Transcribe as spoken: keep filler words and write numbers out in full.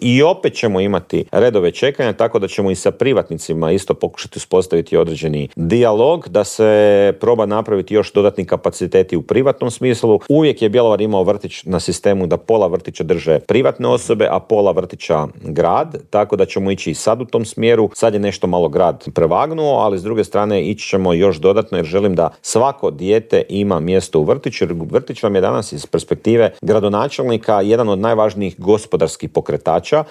i opet ćemo imati redove čekanja, tako da ćemo i sa privatnicima isto pokušati uspostaviti određeni dijalog, da se proba napraviti još dodatni kapaciteti u privatnom smislu. Uvijek je Bjelovar imao vrtić na sistemu da pola vrtića drže privatne osobe, a pola vrtića grad, tako da ćemo ići i sad u tom smjeru. Sad je nešto malo grad prevagnuo, ali s druge strane ići ćemo još dodatno jer želim da svako dijete ima mjesto u vrtiću, jer vrtić vam je danas iz perspektive gradonačelnika jedan od najvažnijih gospodarskih pokretača